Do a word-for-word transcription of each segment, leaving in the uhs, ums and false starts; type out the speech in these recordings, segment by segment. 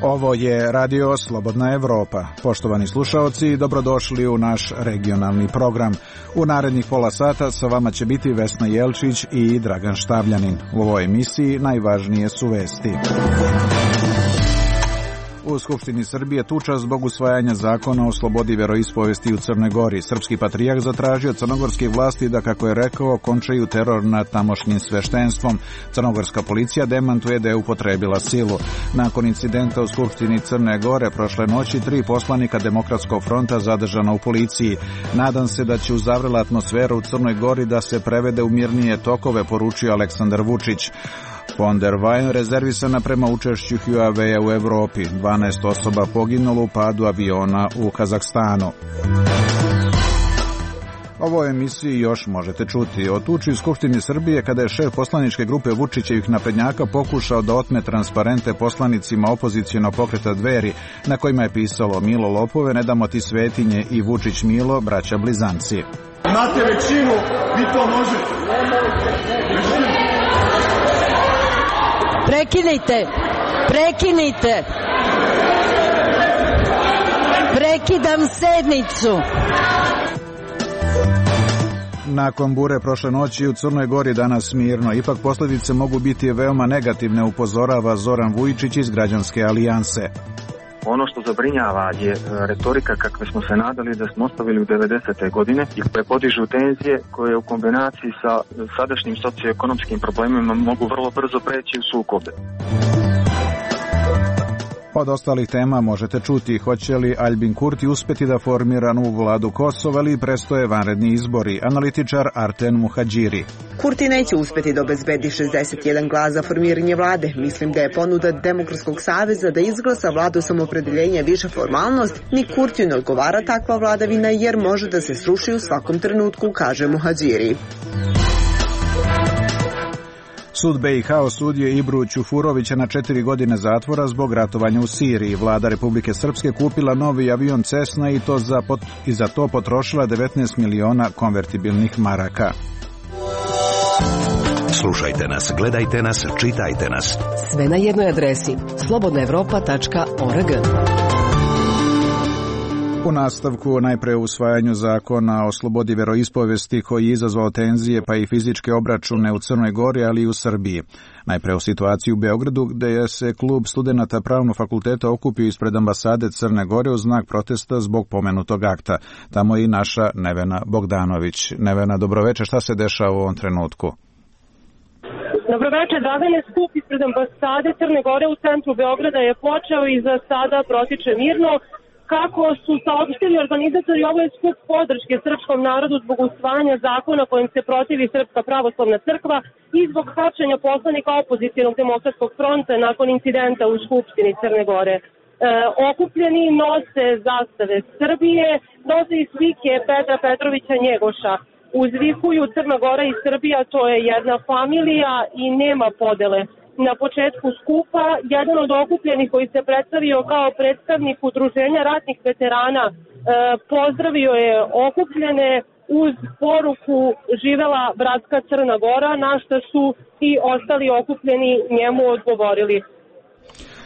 Ovo je Radio Slobodna Evropa. Poštovani slušaoci, dobrodošli u naš regionalni program. U narednih pola sata sa vama će biti Vesna Jelčić i Dragan Štavljanin. U ovoj emisiji najvažnije su vesti. U Skupštini Srbije tuča zbog usvajanja zakona o slobodi veroispovesti u Crnoj Gori. Srpski patrijarh zatražio crnogorske vlasti da, kako je rekao, končaju teror nad tamošnjim sveštenstvom. Crnogorska policija demantuje da je upotrebila silu. Nakon incidenta u Skupštini Crne Gore prošle noći, tri poslanika Demokratskog fronta zadržana u policiji. Nadam se da će u zavrela atmosfera u Crnoj Gori da se prevede u mirnije tokove, poručio Aleksandar Vučić. Von der Leyen rezervisana prema učešću Huawei u Evropi. dvanaest osoba poginulo u padu aviona u Kazahstanu. Ovo emisiji još možete čuti. O tuči u Skupštini Srbije kada je šef poslaničke grupe Vučićevih naprednjaka pokušao da otme transparente poslanicima opozicionog pokreta Dveri, na kojima je pisalo Milo lopove, ne damo ti svetinje i Vučić Milo, braća blizanci. Imate većinu, vi to možete. Prekinite, prekinite, prekidam sednicu. Nakon bure prošle noći u Crnoj Gori danas mirno, ipak posljedice mogu biti veoma negativne, upozorava Zoran Vujičić iz Građanske alijanse. Ono što zabrinjava je retorika kakve smo se nadali da smo ostavili u devedesete godine i koje podižu tenzije koje u kombinaciji sa sadašnjim socioekonomskim problemima mogu vrlo brzo preći u sukobe. Od ostalih tema možete čuti hoće li Albin Kurti uspeti da formira novu vladu Kosova ili prestoje vanredni izbori. Analitičar Arten Muhadžiri. Kurti neće uspeti da obezbedi šezdeset jedan glas za formiranje vlade. Mislim da je ponuda Demokratskog saveza da izglasa vladu samoopredeljenja više formalnost, ni Kurtiju ne odgovara takva vladavina jer može da se sruši u svakom trenutku, kaže Muhadžiri. Sud be i ha osudio Ibru Ćufurovića na četiri godine zatvora zbog ratovanja u Siriji. Vlada Republike Srpske kupila novi avion Cessna i, to za pot, i za to potrošila devetnaest miliona konvertibilnih maraka. Slušajte nas, gledajte nas, čitajte nas. Sve na jednoj adresi slobodna evropa tačka org. U nastavku najpre u usvajanju zakona o slobodi veroispovesti koji je izazvao tenzije pa i fizičke obračune u Crnoj Gori, ali i u Srbiji. Najpre u situaciji u Beogradu gdje je se klub studenata Pravnog fakulteta okupio ispred ambasade Crne Gore u znak protesta zbog pomenutog akta. Tamo je i naša Nevena Bogdanović. Nevena, dobroveče, šta se dešava u ovom trenutku? Dobroveče, Dragane, skup ispred ambasade Crne Gore u centru Beograda je počeo i za sada protiče mirno. Kako su saopštili organizatori, ovo je skup podrške srpskom narodu zbog usvajanja zakona kojim se protivi Srpska pravoslavna crkva i zbog hapšenja poslanika opozicionog Demokratskog fronta nakon incidenta u Skupštini Crne Gore. E, okupljeni nose zastave Srbije, nose i slike Petra Petrovića Njegoša. Uzvikuju Crna Gora i Srbija, to je jedna familija i nema podele. Na početku skupa, jedan od okupljenih koji se predstavio kao predstavnik udruženja ratnih veterana e, pozdravio je okupljene uz poruku živela bratska Crna Gora, na što su i ostali okupljeni njemu odgovorili.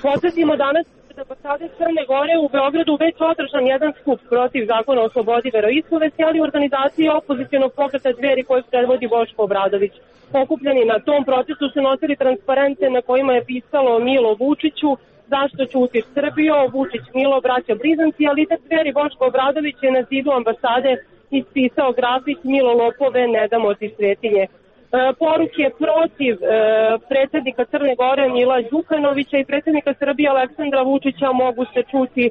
Podsjetimo danas da ambasade Crne Gore u Beogradu već održan jedan skup protiv zakona o slobodi veroispovesti, ali organizacije opozicionog pokreta Dveri koje predvodi Boško Obradović. Okupljeni na tom protestu su nosili transparente na kojima je pisalo Milo Vučiću, zašto ćutiš Srbijo, Vučić Milo, braća blizanci, ali lider Dveri Boško Obradović je na zidu ambasade ispisao grafit Milo lopove, ne damo ti svetinje. E, poruke protiv e, predsjednika Crne Gore Mila Đukanovića i predsjednika Srbije Aleksandra Vučića mogu se čuti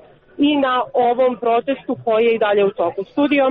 i na ovom protestu koji je i dalje u toku. Studio.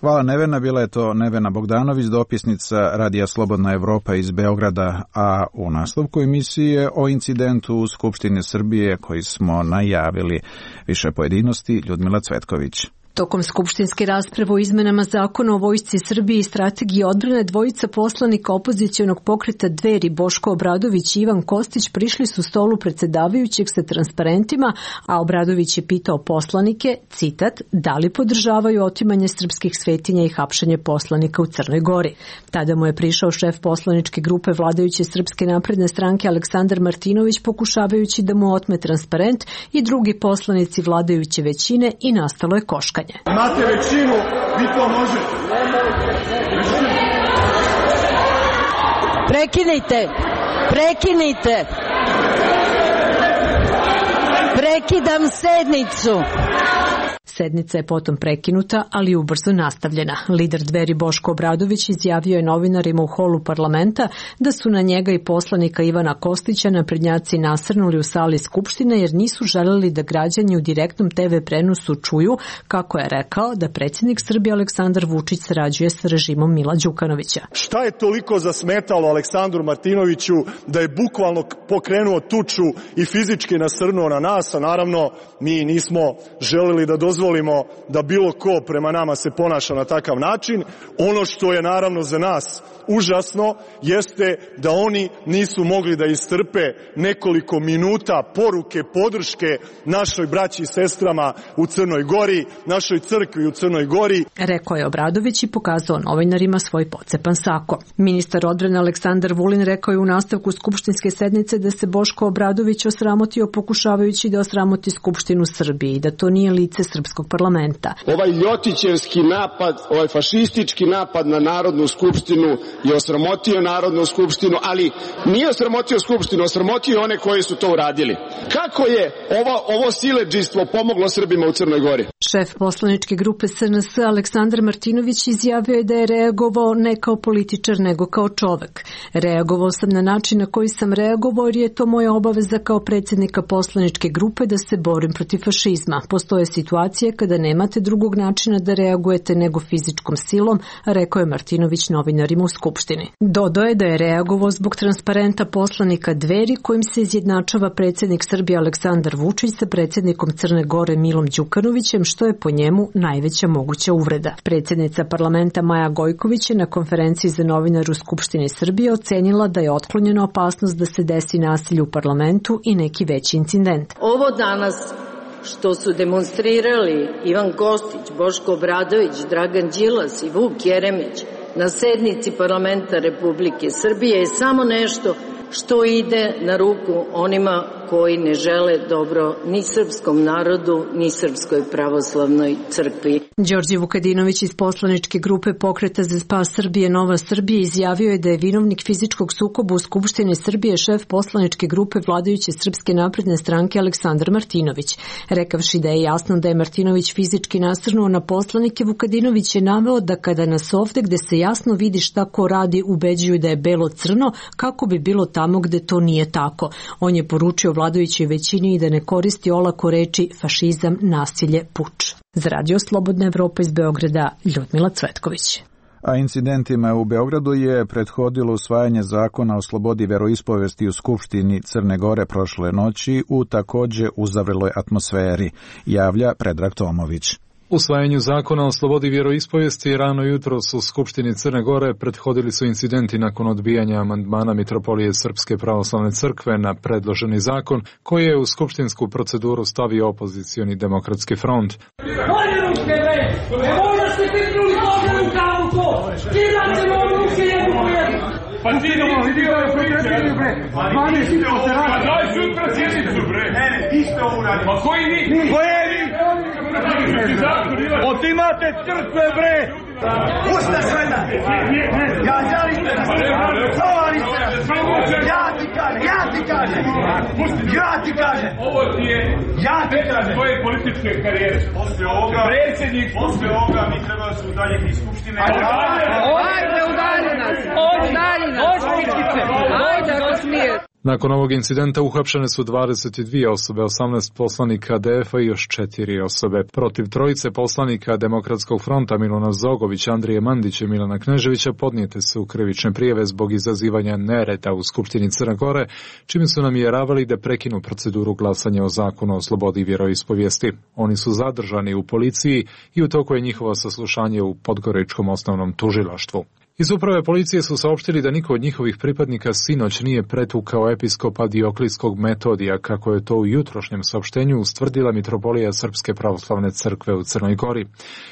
Hvala Nevena, bila je to Nevena Bogdanović, dopisnica Radija Slobodna Evropa iz Beograda, a u nastavku emisije o incidentu u Skupštini Srbije koji smo najavili. Više pojedinosti, Ljudmila Cvetković. Tokom skupštinske rasprave o izmenama zakona o vojsci Srbije i strategiji odbrane, dvojica poslanika opozicionog pokreta Dveri Boško Obradović i Ivan Kostić prišli su stolu predsedavajućeg sa transparentima, a Obradović je pitao poslanike, citat, da li podržavaju otimanje srpskih svetinja i hapšenje poslanika u Crnoj Gori. Tada mu je prišao šef poslaničke grupe vladajuće Srpske napredne stranke Aleksandar Martinović pokušavajući da mu otme transparent i drugi poslanici vladajuće većine i nastalo je koškanje. Imate većinu, vi to možete. Prekinite, prekinite. Prekidam sednicu. Sednica je potom prekinuta, ali ubrzo nastavljena. Lider Dveri Boško Obradović izjavio je novinarima u holu parlamenta da su na njega i poslanika Ivana Kostića naprednjaci nasrnuli u sali Skupštine jer nisu želeli da građani u direktnom te ve prenosu čuju, kako je rekao, da predsjednik Srbije Aleksandar Vučić sarađuje sa režimom Mila Đukanovića. Šta je toliko zasmetalo Aleksandru Martinoviću da je bukvalno pokrenuo tuču i fizički nasrnuo na nas, a naravno mi nismo želeli da dozvolimo da bilo ko prema nama se ponaša na takav način. Ono što je naravno za nas užasno jeste da oni nisu mogli da istrpe nekoliko minuta poruke podrške našoj braći i sestrama u Crnoj Gori, našoj crkvi u Crnoj Gori. Rekao je Obradović i pokazao novinarima svoj pocepan sako. Ministar odbrane Aleksandar Vulin rekao je u nastavku skupštinske sednice da se Boško Obradović osramotio pokušavajući da osramoti Skupštinu Srbije i da to nije lice srpskog parlamenta. Ovaj ljotićevski napad, ovaj fašistički napad na Narodnu skupštinu je osramotio Narodnu skupštinu, ali nije osramotio skupštinu, osramotio one koji su to uradili. Kako je ovo, ovo siledžijstvo pomoglo Srbima u Crnoj Gori? Šef poslaničke grupe S N S Aleksandar Martinović izjavio je da je reagovao ne kao političar nego kao čovek. Reagovao sam na način na koji sam reagovao jer je to moja obaveza kao predsjednika poslaničke grupe da se borim protiv fašizma. Postoje situacije kada nemate drugog načina da reagujete nego fizičkom silom, rekao je Martinović novinarima u Skupštini. Dodao je da je reagovao zbog transparenta poslanika Dveri kojim se izjednačava predsjednik Srbije Aleksandar Vučić sa predsjednikom Crne Gore Milom Đukanovićem, što je po njemu najveća moguća uvreda. Predsjednica parlamenta Maja Gojković je na konferenciji za novinare u Skupštini Srbije ocenila da je otklonjena opasnost da se desi nasilje u parlamentu i neki veći incident. Ovo danas što su demonstrirali Ivan Kostić, Boško Obradović, Dragan Đilas i Vuk Jeremić na sednici parlamenta Republike Srbije je samo nešto što ide na ruku onima koji ne žele dobro ni srpskom narodu, ni Srpskoj pravoslavnoj crkvi. Đorđe Vukadinović iz poslaničke grupe Pokreta za spas Srbije Nova Srbija izjavio je da je vinovnik fizičkog sukoba u Skupštini Srbije šef poslaničke grupe vladajuće Srpske napredne stranke Aleksandar Martinović. Rekavši da je jasno da je Martinović fizički nasrnuo na poslanike, Vukadinović je naveo da kada nas ovde gde se jasno vidi šta ko radi ubeđuju da je belo crno, kako bi bilo tamo gde to nije tako. On je poručio vladajućoj većini i da ne koristi olako reči fašizam, nasilje, puč. Za Radio Slobodna Evropa iz Beograda, Ljudmila Cvetković. A incidentima u Beogradu je prethodilo usvajanje zakona o slobodi veroispovesti u Skupštini Crne Gore prošle noći u takođe uzavreloj atmosferi, javlja Predrag Tomović. Usvajanju zakona o slobodi vjeroispovijesti rano jutros u Skupštini Crne Gore prethodili su incidenti nakon odbijanja amandmana Mitropolije Srpske pravoslavne crkve na predloženi zakon koji je u skupštinsku proceduru stavio opozicioni demokratski front. Pa ti idemo, idemo, idemo, bre. Zvane si poteraš. Pa daj sutra sjednicu, bre. Ne, ne, ti ste ovo uradili. Pa koji vi? Koje vi? Otimate crkve, bre. Pušta žena. Ja želim da se čovali se. Ja ti kažem, ja ti kažem. Ja ti kažem. Ovo ti je, ja ti kažem. Tvoje političke karijere. Posle ovoga, predsjednik, posle ovoga mi treba da se udaljiti iz Skupštine. Ajde, udalji nas. Udalji nas. Ajde, ako smije. Nakon ovog incidenta uhapšene su dvadeset dvije osobe, osamnaest poslanika D F-a i još četiri osobe. Protiv trojice poslanika Demokratskog fronta Milana Zogovića, Andrije Mandića i Milana Kneževića podnijete su krivične prijave zbog izazivanja nereda u Skupštini Crne Gore, čime su namjeravali da prekinu proceduru glasanja o zakonu o slobodi vjeroispovijesti. Oni su zadržani u policiji i u toku je njihovo saslušanje u Podgoričkom osnovnom tužilaštvu. Iz uprave policije su saopštili da niko od njihovih pripadnika sinoć nije pretukao episkopa Dioklijskog Metodija, kako je to u jutrošnjem saopštenju ustvrdila Mitropolija Srpske pravoslavne crkve u Crnoj Gori.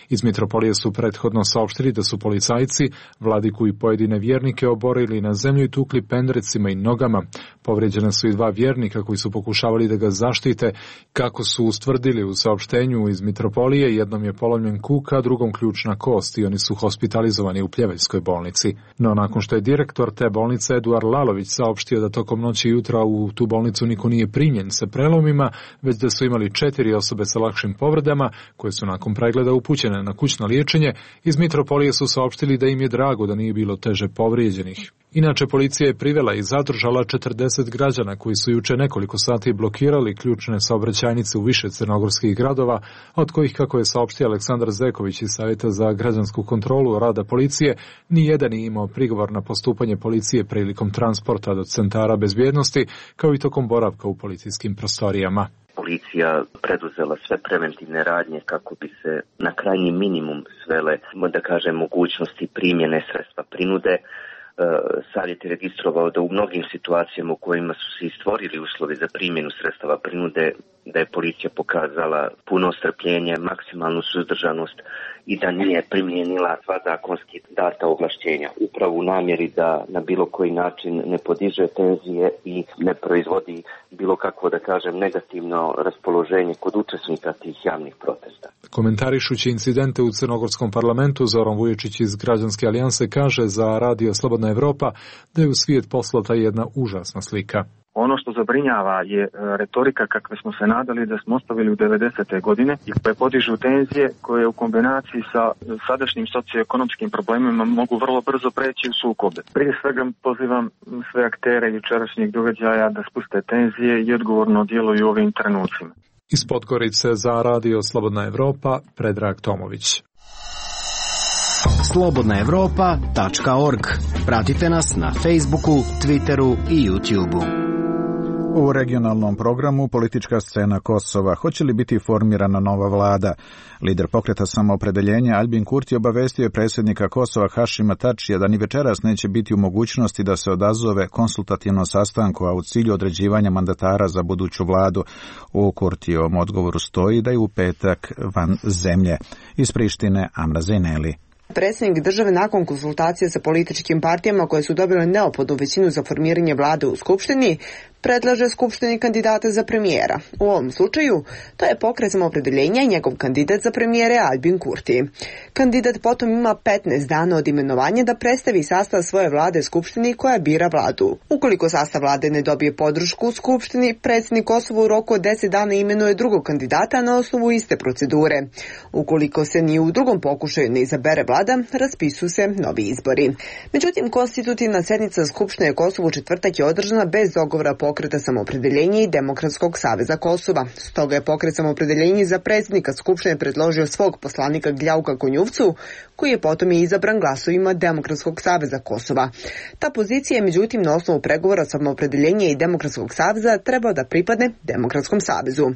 Iz Mitropolije su prethodno saopštili da su policajci vladiku i pojedine vjernike oborili na zemlju i tukli pendrecima i nogama. Povrijeđena su i dva vjernika koji su pokušavali da ga zaštite. Kako su ustvrdili u saopštenju iz Mitropolije, jednom je polomljen kuk, a drugom ključna kost i oni su hospitalizovani u Pljeveljskoj bolnici. No nakon što je direktor te bolnice Eduard Lalović saopštio da tokom noći i jutra u tu bolnicu niko nije primljen sa prelomima, već da su imali četiri osobe sa lakšim povredama koje su nakon pregleda upućene na kućno liječenje, iz Mitropolije su saopštili da im je drago da nije bilo teže povrijeđenih. Inače, policija je privela i zadržala četrdeset građana koji su juče nekoliko sati blokirali ključne saobraćajnice u više crnogorskih gradova, od kojih, kako je saopštio Aleksandar Zeković iz Savjeta za građansku kontrolu rada policije, ni jedan nije imao prigovor na postupanje policije prilikom transporta do centara bezbjednosti, kao i tokom boravka u policijskim prostorijama. Policija preduzela sve preventivne radnje kako bi se na krajnji minimum svele, da kažem, mogućnosti primjene sredstva prinude. Savjet je registrovao da u mnogim situacijama u kojima su se stvorili uslovi za primjenu sredstava prinude, da je policija pokazala puno strpljenje, maksimalnu suzdržanost i da nije primijenila sva zakonski data ovlašćenja, upravo u namjeri da na bilo koji način ne podiže tenzije i ne proizvodi bilo kakvo, da kažem, negativno raspoloženje kod učesnika tih javnih protesta. Komentarišući incidente u Crnogorskom parlamentu, Zoran Vuječić iz Građanske alijanse kaže za Radio Slobodna Evropa da je u svijet poslata jedna užasna slika. Ono što zabrinjava je retorika kakve smo se nadali da smo ostavili u devedesete godine i koje podižu tenzije koje u kombinaciji sa sadašnjim socioekonomskim problemima mogu vrlo brzo preći u sukobe. Prije svega pozivam sve aktere jučerašnjih događaja da spuste tenzije i odgovorno djeluju u ovim trenucima. Iz Podgorice za Radio Slobodna Evropa, Predrag Tomović. slobodna evropa tačka org. Pratite nas na Facebooku, Twitteru i YouTubeu. U regionalnom programu politička scena Kosova. Hoće li biti formirana nova vlada? Lider pokreta Samoopredeljenja Albin Kurti obavestio je predsjednika Kosova Hašima Tačija da ni večeras neće biti u mogućnosti da se odazove konsultativnom sastanku, a u cilju određivanja mandatara za buduću vladu. U Kurtijevom odgovoru stoji da je u petak van zemlje. Iz Prištine Amra Zejneli. Predsjednik države nakon konsultacije sa političkim partijama koje su dobile neophodnu većinu za formiranje vlade u Skupštini, predlaže Skupštini kandidate za premijera. U ovom slučaju to je pokret Samoopredeljenja i njegov kandidat za premijere Albin Kurti. Kandidat potom ima petnaest dana od imenovanja da predstavi sastav svoje vlade Skupštini koja bira vladu. Ukoliko sastav vlade ne dobije podršku u Skupštini, predsjednik Kosova u roku od deset dana imenuje drugog kandidata na osnovu iste procedure. Ukoliko se ni u drugom pokušaju ne izabere vlada, raspisuju se novi izbori. Međutim, konstitutivna sjednica Skupštine Kosova u četvrtak je održana bez dogovora pokreta Samoopredeljenja i Demokratskog saveza Kosova. Stoga je pokret Samoopredeljenja za predsjednika Skupštine predložio svog poslanika Gljauka Konjuvcu, koji je potom i izabran glasovima Demokratskog saveza Kosova. Ta pozicija je međutim na osnovu pregovora Samoopredeljenja i Demokratskog saveza trebao da pripadne Demokratskom savezu.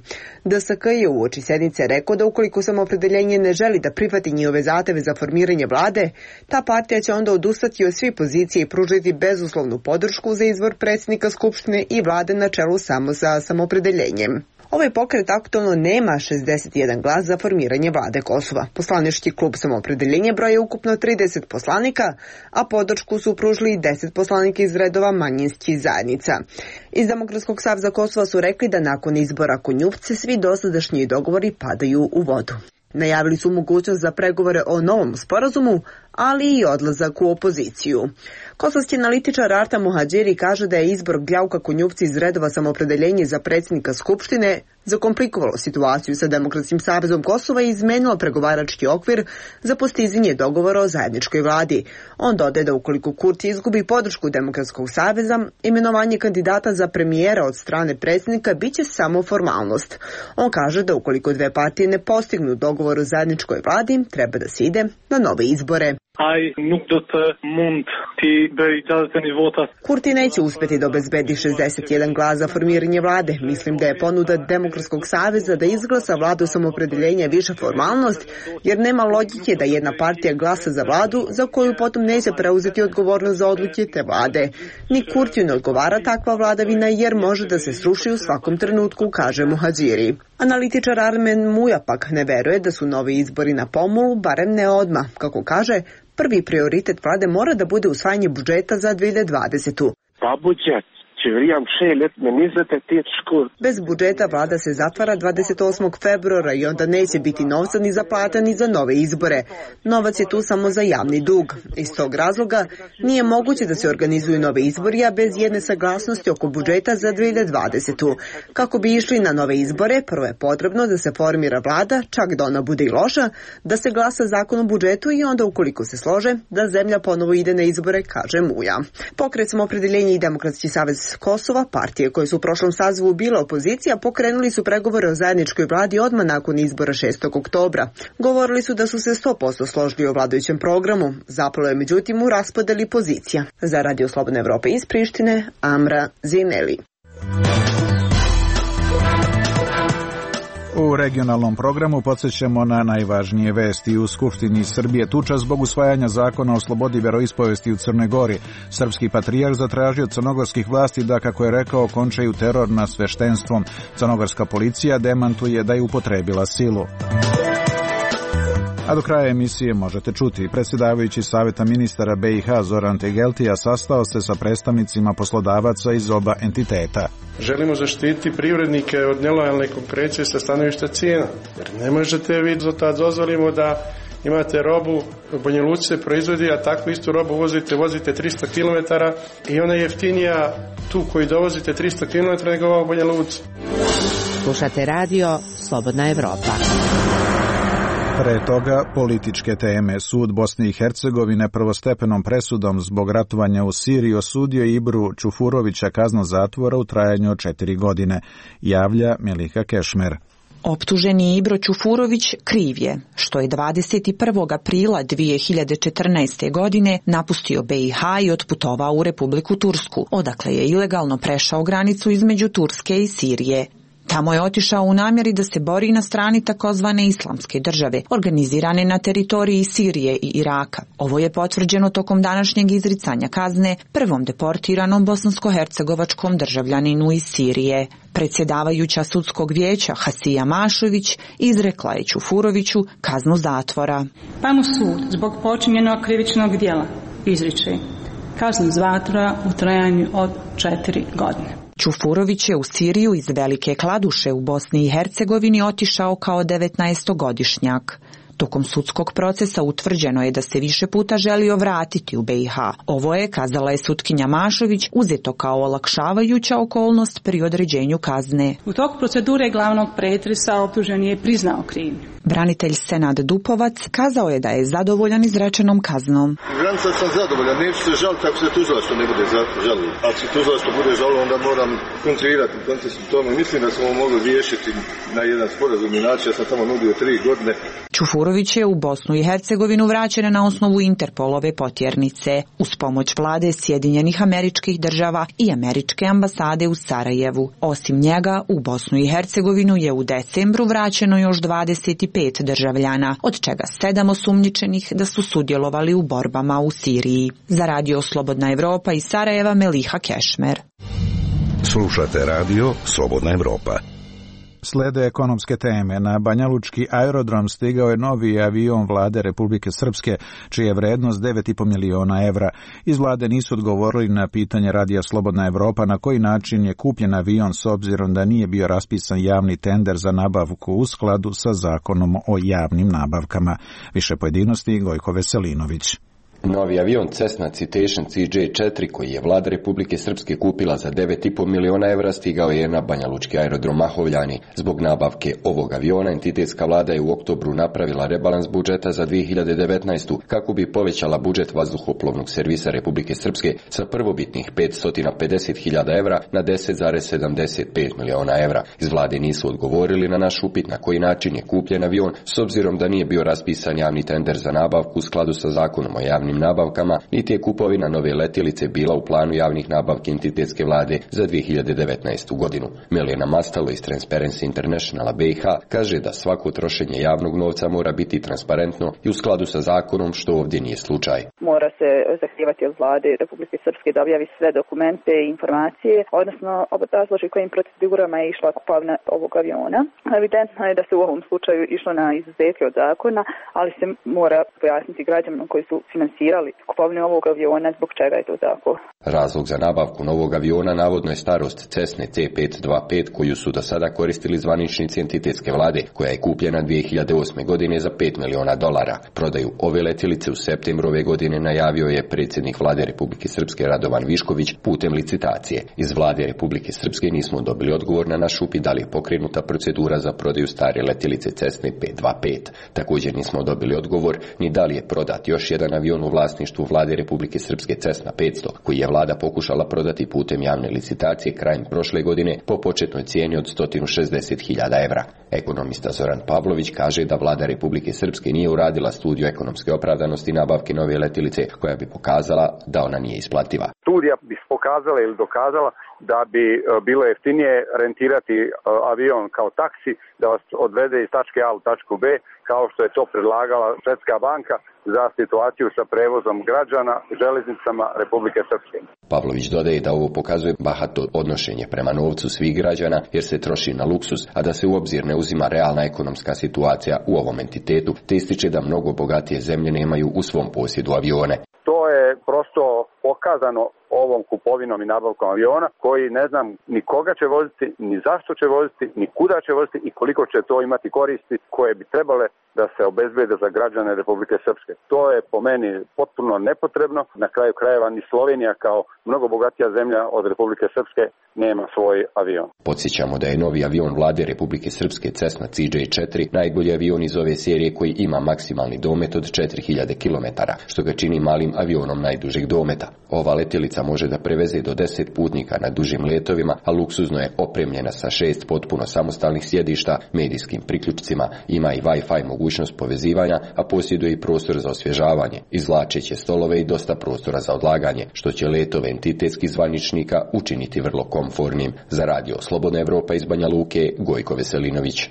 D S K je uoči sednice rekao da ukoliko Samoopredeljenje ne želi da prihvati njihove zahteve za formiranje vlade, ta partija će onda odustati od svih pozicije i pružiti bezuslovnu podršku za izbor predsjednika Skupštine i vlade na čelu samo sa Samoopredeljenjem. Ovaj pokret aktualno nema šezdeset jedan glas za formiranje vlade Kosova. Poslanički klub Samoopredeljenja broje ukupno trideset poslanika, a podršku su pružili deset poslanika iz redova manjinskih zajednica. Iz Demokratskog saveza Kosova su rekli da nakon izbora Konjuvce svi dosadašnji dogovori padaju u vodu. Najavili su mogućnost za pregovore o novom sporazumu, ali i odlazak u opoziciju. Kosovski analitičar Arta Muhadžiri kaže da je izbor Gljauka Konjupci iz redova Samoopredeljenje za predsjednika Skupštine zakomplikovalo situaciju sa Demokratskim savezom Kosova i izmenilo pregovarački okvir za postizanje dogovora o zajedničkoj vladi. On dodaje da ukoliko Kurti izgubi podršku Demokratskog saveza, imenovanje kandidata za premijera od strane predsjednika biće samo formalnost. On kaže da ukoliko dve partije ne postignu dogovor o zajedničkoj vladi, treba da se ide na nove izbore. Kurti neće uspjeti da obezbedi šezdeset jedan glas za formiranje vlade. Mislim da je ponuda Demokratskog saveza da izglasa vladu Samoopredeljenja viša formalnost, jer nema logike da jedna partija glasa za vladu za koju potom neće preuzeti odgovornost za odluke te vlade. Ni Kurtiju ne odgovara takva vladavina jer može da se sruši u svakom trenutku, kaže Muhadžiri. Analitičar Armen Muja pak ne veruje da su novi izbori na pomolu, barem ne odmah. Kako kaže, prvi prioritet vlade mora da bude usvajanje budžeta za dve hiljade dvadesetu. Pa budžet. Bez budžeta vlada se zatvara dvadeset osmog februara i onda neće biti novca ni za plata ni za nove izbore. Novac je tu samo za javni dug. Iz tog razloga nije moguće da se organizuju nove izbori, a bez jedne saglasnosti oko budžeta za dve hiljade dvadesetu. Kako bi išli na nove izbore, prvo je potrebno da se formira vlada, čak da ona bude i loša, da se glasa zakon o budžetu i onda ukoliko se slože, da zemlja ponovo ide na izbore, kaže Muja. Pokret Samoopredeljenje i Demokratski savez Kosova, partije koje su u prošlom sazivu bila opozicija, pokrenuli su pregovore o zajedničkoj vladi odmah nakon izbora šestog oktobra. Govorili su da su se sto posto složili o vladajućem programu. Zapalo je međutim u raspodeli pozicija. Za Radio Slobodne Evrope iz Prištine, Amra Zineli. U regionalnom programu podsjećamo na najvažnije vesti. U Skupštini Srbije tuča zbog usvajanja zakona o slobodi veroispovesti u Crnoj Gori. Srpski patrijarh zatražio od crnogorskih vlasti da, kako je rekao, končaju teror nad sveštenstvom. Crnogorska policija demantuje da je upotrebila silu. A do kraja emisije možete čuti. Predsjedavajući Saveta ministara B i H Zoran Tegeltija sastao se sa predstavnicima poslodavaca iz oba entiteta. Želimo zaštiti privrednike od nelojalne konkurencije sa stanovišta cijena. Jer ne možete vi do tad dozvolimo da imate robu, u Banja Luci se proizvodi, a takvu istu robu vozite, vozite tristo kilometara i ona je jeftinija tu koji dovozite tristo kilometara nego ova u Banja Luci. Slušate radio Slobodna Evropa. Pre toga političke teme. Sud Bosne i Hercegovine prvostepenom presudom zbog ratovanja u Siriji osudio Ibru Čufurovića kaznu zatvora u trajanju od četiri godine, javlja Melika Kešmer. Optuženi Ibro Čufurović kriv je što je dvadeset prvog aprila dvije hiljade četrnaeste. godine napustio B i H i otputovao u Republiku Tursku, odakle je ilegalno prešao granicu između Turske i Sirije. Tamo je otišao u namjeri da se bori na strani takozvane islamske države, organizirane na teritoriji Sirije i Iraka. Ovo je potvrđeno tokom današnjeg izricanja kazne prvom deportiranom bosansko-hercegovačkom državljaninu iz Sirije. Predsjedavajuća sudskog vijeća Hasija Mašović izrekla je Čufuroviću kaznu zatvora. Pa mu sud zbog počinjenog krivičnog djela izriče kaznu zatvora u trajanju od četiri godine. Čufurović je u Siriju iz Velike Kladuše u Bosni i Hercegovini otišao kao devetnaestogodišnjak. Tokom sudskog procesa utvrđeno je da se više puta želio vratiti u B i H. Ovo je, kazala je sutkinja Mašović, uzeto kao olakšavajuća okolnost pri određenju kazne. U toku procedure glavnog pretresa optuženi je priznao krivnju. Branitelj Senad Dupovac kazao je da je zadovoljan izrečenom kaznom. Granica sam zadovoljan, neću se žaliti ako se tužilaštvo ne bude žalilo. Ako se tužilaštvo bude žalilo, onda moram kontrirati u kontekstu tome. Mislim da smo mogli riješiti na jedan sporazumni način. Ja sam tamo nudio tri godine. Čufurović je u Bosnu i Hercegovinu vraćen na osnovu Interpolove potjernice uz pomoć vlade Sjedinjenih Američkih Država i Američke ambasade u Sarajevu. Osim njega, u Bosnu i Hercegovinu je u decembru vraćeno još dvadeset pet državljana, od čega sedam osumnjičenih da su sudjelovali u borbama u Siriji. Za Radio Slobodna Evropa iz Sarajeva, Meliha Kešmer. Slušate radio Slobodna Evropa. Slede ekonomske teme. Na Banjalučki aerodrom stigao je novi avion vlade Republike Srpske, čija je vrednost devet i po miliona evra. Iz vlade nisu odgovorili na pitanje radija Slobodna Evropa na koji način je kupljen avion s obzirom da nije bio raspisan javni tender za nabavku u skladu sa zakonom o javnim nabavkama. Više pojedinosti Gojko Veselinović. Novi avion Cessna Citation C J četiri koji je vlada Republike Srpske kupila za devet i po miliona evra stigao je na Banjalučki aerodrom Mahovljani. Zbog nabavke ovog aviona entitetska vlada je u oktobru napravila rebalans budžeta za dvije hiljade devetnaestu kako bi povećala budžet vazduhoplovnog servisa Republike Srpske sa prvobitnih petsto pedeset hiljada evra na deset zarez sedamdeset pet miliona evra. Iz vlade nisu odgovorili na naš upit na koji način je kupljen avion s obzirom da nije bio raspisan javni tender za nabavku u skladu sa zakonom o javnim nabavkama, niti je kupovina nove letjelice bila u planu javnih nabavki entitetske vlade za dvije hiljade devetnaestu godinu. Milijana Mastalo iz Transparency Internationala B i H kaže da svako trošenje javnog novca mora biti transparentno i u skladu sa zakonom, što ovdje nije slučaj. Mora se zahtijevati od vlade Republike Srpske da objavi sve dokumente i informacije, odnosno obrazloži kojim procedurama je išla kupovina ovog aviona. Evidentno je da se u ovom slučaju išlo na izuzetke od zakona, ali se mora pojasniti građanima koji su finansirali kupovinu ovog aviona, zbog čega je to tako. Razlog za nabavku novog aviona navodno je starost Cessne C petsto dvadeset pet koju su do sada koristili zvaničnici entitetske vlade, koja je kupljena dvije hiljade osme godine za pet miliona dolara. Prodaju ove letjelice u septembru ove godine najavio je predsjednik vlade Republike Srpske Radovan Višković putem licitacije. Iz vlade Republike Srpske nismo dobili odgovor na naš upit da li je pokrenuta procedura za prodaju stare letjelice Cessne petsto dvadeset pet. Također nismo dobili odgovor ni da li je prodat još jedan avion u vlasništvu vlade Republike Srpske Cessna petsto, koji je vlada pokušala prodati putem javne licitacije krajem prošle godine po početnoj cijeni od sto šezdeset hiljada evra. Ekonomista Zoran Pavlović kaže da vlada Republike Srpske nije uradila studiju ekonomske opravdanosti nabavke nove letjelice koja bi pokazala da ona nije isplativa. Studija bi pokazala ili dokazala da bi bilo jeftinije rentirati avion kao taksi, da vas odvede iz tačke A u tačku B, kao što je to predlagala Svjetska banka za situaciju sa prevozom građana železnicama Republike Srpske. Pavlović dodaje da ovo pokazuje bahato odnošenje prema novcu svih građana jer se troši na luksuz, a da se u obzir ne uzima realna ekonomska situacija u ovom entitetu, te ističe da mnogo bogatije zemlje nemaju u svom posjedu avione. To je prosto pokazano ovom kupovinom i nabavkom aviona koji ne znam ni koga će voziti, ni zašto će voziti, ni kuda će voziti i koliko će to imati koristi koje bi trebale da se obezbede za građane Republike Srpske. To je po meni potpuno nepotrebno. Na kraju krajeva ni Slovenija kao mnogo bogatija zemlja od Republike Srpske nema svoj avion. Podsjećamo da je novi avion vlade Republike Srpske Cessna C J četiri najbolji avion iz ove serije koji ima maksimalni domet od četiri hiljade kilometara, što ga čini malim avionom najdužeg dometa. Ova letjelica može da preveze do deset putnika na dužim letovima, a luksuzno je opremljena sa šest potpuno samostalnih sjedišta, medijskim priključcima, ima i Wi-Fi mogućnost povezivanja, a posjeduje i prostor za osvježavanje, izvlačeće stolove i dosta prostora za odlaganje, što će letove entitetskih zvaničnika učiniti vrlo komfornim. Za radio Slobodna Evropa iz Banja Luke, Gojko Veselinović.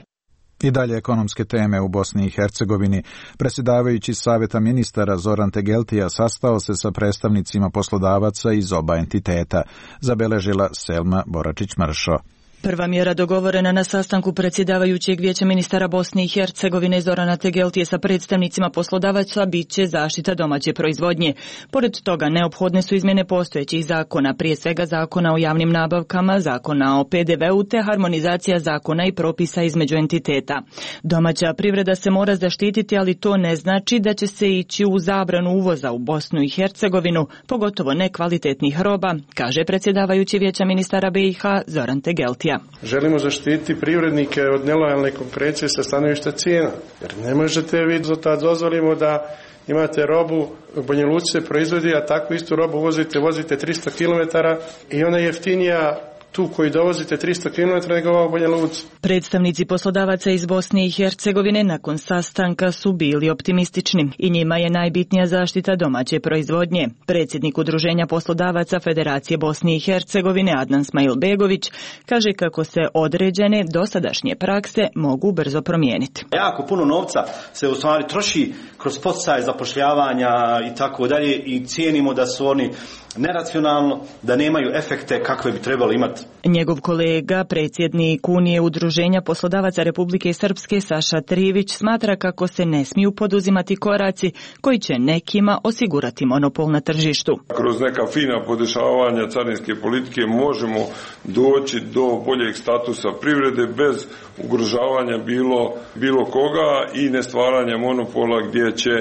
I dalje ekonomske teme u Bosni i Hercegovini. Predsjedavajući Savjeta ministara Zoran Tegeltija sastao se sa predstavnicima poslodavaca iz oba entiteta, zabeležila Selma Boračić-Mršo. Prva mjera dogovorena na sastanku predsjedavajućeg vijeća ministara Bosne i Hercegovine Zorana Tegeltije sa predstavnicima poslodavaca bit će zaštita domaće proizvodnje. Pored toga neophodne su izmjene postojećih zakona, prije svega zakona o javnim nabavkama, zakona o P D V U te harmonizacija zakona i propisa između entiteta. Domaća privreda se mora zaštititi, ali to ne znači da će se ići u zabranu uvoza u Bosnu i Hercegovinu, pogotovo nekvalitetnih roba, kaže predsjedavajući vijeća ministara B i H Zoran Tegeltije. Želimo zaštititi privrednike od nelojalne konkurencije sa stanovišta cijena. Jer ne možete vi da dozvolimo da imate robu, u Banja Luci se proizvodi, a takvu istu robu vozite, vozite tristo kilometara i ona je jeftinija tu koji dovozite tristo kilometara nego ova u Banja Luci. Predstavnici poslodavaca iz Bosne i Hercegovine nakon sastanka su bili optimistični i njima je najbitnija zaštita domaće proizvodnje. Predsjednik Udruženja poslodavaca Federacije Bosne i Hercegovine Adnan Smajlbegović kaže kako se određene dosadašnje prakse mogu brzo promijeniti. Jako puno novca se u stvari troši kroz poticaj zapošljavanja i tako dalje i cijenimo da su oni neracionalno, da nemaju efekte kakve bi trebali imati poslodavac. Njegov kolega, predsjednik Unije udruženja poslodavaca Republike Srpske Saša Trivić smatra kako se ne smiju poduzimati koraci koji će nekima osigurati monopol na tržištu. Kroz neka fina podešavanja carinske politike možemo doći do boljeg statusa privrede bez ugrožavanja bilo, bilo koga i ne stvaranja monopola gdje će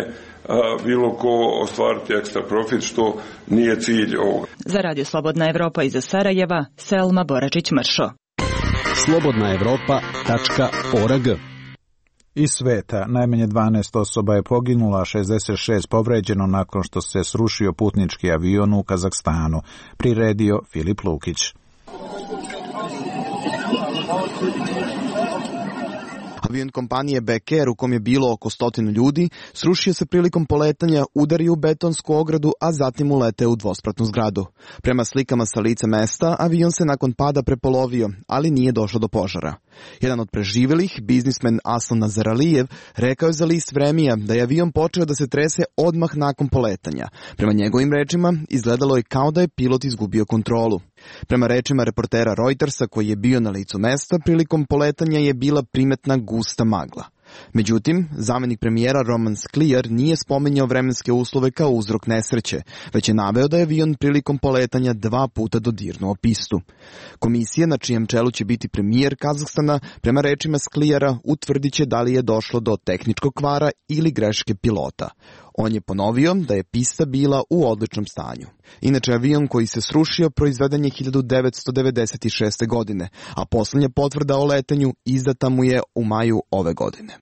a, bilo ko ostvariti ekstra profit, što nije cilj ovoga. Za Radio Slobodna Evropa iz Sarajeva, Selma Boračić-Mršo. slobodna evropa tačka org. Iz sveta najmanje dvanaest osoba je poginulo, a šezdeset šest povređeno nakon što se srušio putnički avion u Kazahstanu, priredio Filip Lukić. Avion kompanije Beker, u kom je bilo oko stotinu ljudi, srušio se prilikom poletanja, udario u betonsku ogradu, a zatim uleteo u dvospratnu zgradu. Prema slikama sa lica mesta, avion se nakon pada prepolovio, ali nije došlo do požara. Jedan od preživjelih, biznismen Aslan Nazaralijev, rekao je za list Vremija da je avion počeo da se trese odmah nakon poletanja. Prema njegovim rečima, izgledalo je kao da je pilot izgubio kontrolu. Prema rečima reportera Reutersa koji je bio na licu mesta, prilikom poletanja je bila primetna gusta magla. Međutim, zamenik premijera Roman Skliar nije spominjao vremenske uslove kao uzrok nesreće, već je naveo da je avion prilikom poletanja dva puta dodirnuo pistu. Komisija, na čijem čelu će biti premijer Kazahstana, prema rečima Sklijara utvrdit će da li je došlo do tehničkog kvara ili greške pilota. On je ponovio da je pista bila u odličnom stanju. Inače, avion koji se srušio proizveden je hiljadu devetsto devedeset šeste. godine, a posljednja potvrda o letenju izdata mu je u maju ove godine.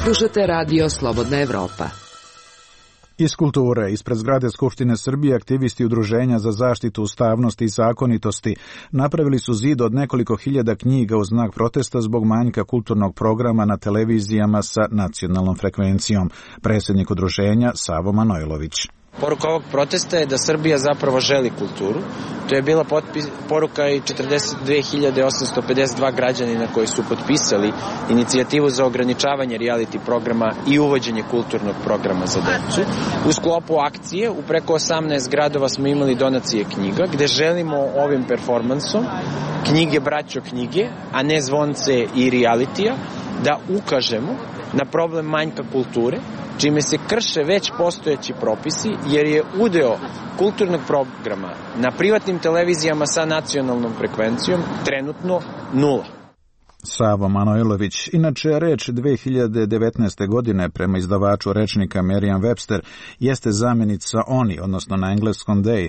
Slušate Radio Slobodna Evropa. Iz kulture, ispred zgrade Skupštine Srbije, aktivisti Udruženja za zaštitu ustavnosti i zakonitosti napravili su zid od nekoliko hiljada knjiga u znak protesta zbog manjka kulturnog programa na televizijama sa nacionalnom frekvencijom. Predsjednik udruženja Savo Manojlović. Poruka ovog protesta je da Srbija zapravo želi kulturu. To je bila potpis, poruka i četrdeset dve hiljade osamsto pedeset dva građanina koji su potpisali inicijativu za ograničavanje reality programa i uvođenje kulturnog programa za decu. U sklopu akcije u preko osamnaest gradova smo imali donacije knjiga gde želimo ovim performansom knjige braćo knjige, a ne zvonce i realitija, da ukažemo na problem manjka kulture, čime se krše već postojeći propisi, jer je udeo kulturnog programa na privatnim televizijama sa nacionalnom frekvencijom trenutno nula. Savo Manojlović. Inače, reč dve hiljade devetnaeste. godine prema izdavaču rečnika Merriam-Webster jeste zamjenica oni, odnosno na engleskom they,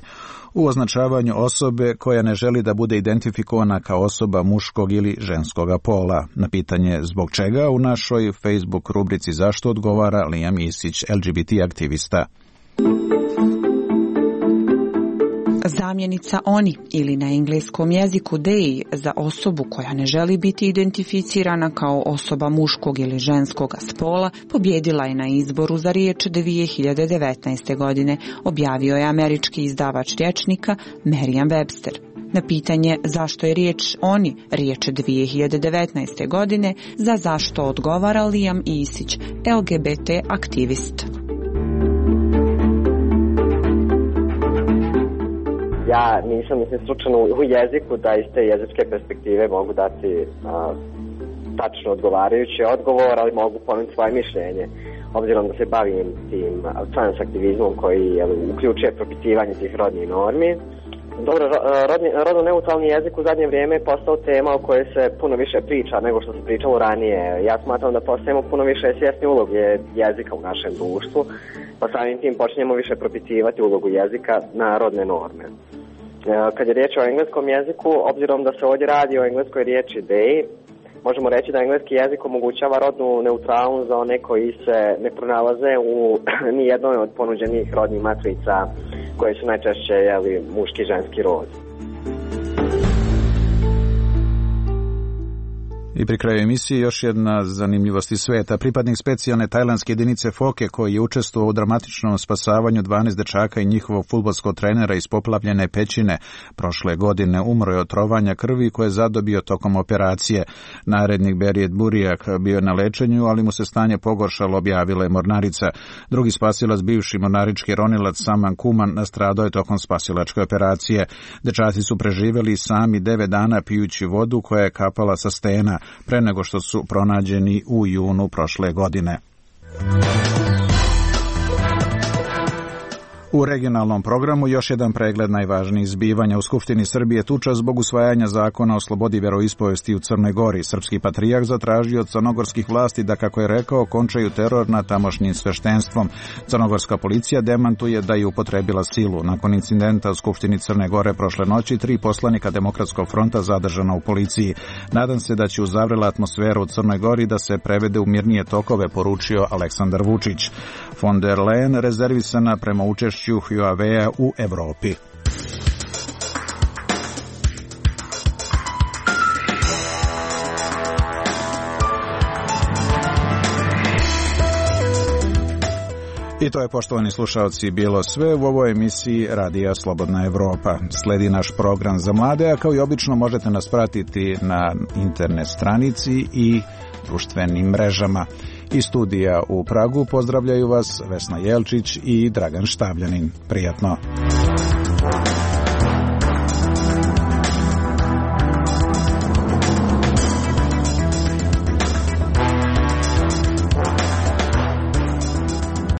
u označavanju osobe koja ne želi da bude identifikovana kao osoba muškog ili ženskoga pola. Na pitanje zbog čega u našoj Facebook rubrici Zašto odgovara Liam Isić, L G B T aktivista. Zamjenica oni ili na engleskom jeziku they za osobu koja ne želi biti identificirana kao osoba muškog ili ženskog spola pobjedila je na izboru za riječ dvije hiljade devetnaeste. godine, objavio je američki izdavač rječnika Merriam-Webster. Na pitanje zašto je riječ oni riječ dvije hiljade devetnaeste. godine, za zašto odgovara Liam Isić, L G B T aktivist. Ja nisam mislim slučajno u jeziku da iz te jezičke perspektive mogu dati a, tačno odgovarajući odgovor, ali mogu ponuti svoje mišljenje. Obzirom da se bavim tim trans aktivizmom koji je, uključuje propitivanje tih rodnih normi. Dobro, rodni, rodno neutralni jezik u zadnje vrijeme je postao tema o kojoj se puno više priča nego što se pričalo ranije. Ja smatram da postajemo puno više svjesni uloge jezika u našem društvu, pa samim tim počinjemo više propitivati ulogu jezika na rodne norme. Kad je riječ o engleskom jeziku, obzirom da se ovdje radi o engleskoj riječi they, možemo reći da engleski jezik omogućava rodnu neutralnost za one koji se ne pronalaze u nijednoj od ponuđenih rodnih matrica koje su najčešće jeli, muški i ženski rod. I pri kraju emisije još jedna zanimljivost iz sveta. Pripadnik specijalne tajlandske jedinice Foke koji je učestvovao u dramatičnom spasavanju dvanaest dečaka i njihovog fudbalskog trenera iz poplavljene pećine prošle godine umro je od trovanja krvi koje je zadobio tokom operacije. Narednik Berijet Burijak bio je na lečenju, ali mu se stanje pogoršalo, objavila je mornarica. Drugi spasilac, bivši mornarički ronilac Saman Kuman, nastradao je tokom spasilačke operacije. Dečaci su preživjeli sami devet dana pijući vodu koja je kapala sa stena pre nego što su pronađeni u junu prošle godine. U regionalnom programu još jedan pregled najvažnijih zbivanja. U Skupštini Srbije tuča zbog usvajanja zakona o slobodi vjeroispovesti u Crnoj Gori. Srpski patrijarh zatražio od crnogorskih vlasti da, kako je rekao, končaju teror nad tamošnjim sveštenstvom. Crnogorska policija demantuje da je upotrebila silu. Nakon incidenta u Skupštini Crne Gore prošle noći, tri poslanika Demokratskog fronta zadržana u policiji. Nadam se da će uz zavrela atmosferu u Crnoj Gori da se prevede u mirnije tokove, poručio Aleksandar Vučić. Von der Leyen rezervisana prema učešću Huawei u Evropi. I to je, poštovani slušalci, bilo sve u ovoj emisiji Radija Slobodna Evropa. Sledi naš program za mlade, a kao i obično možete nas pratiti na internet stranici i društvenim mrežama. Iz studija u Pragu pozdravljaju vas Vesna Jelčić i Dragan Štavljanin. Prijatno.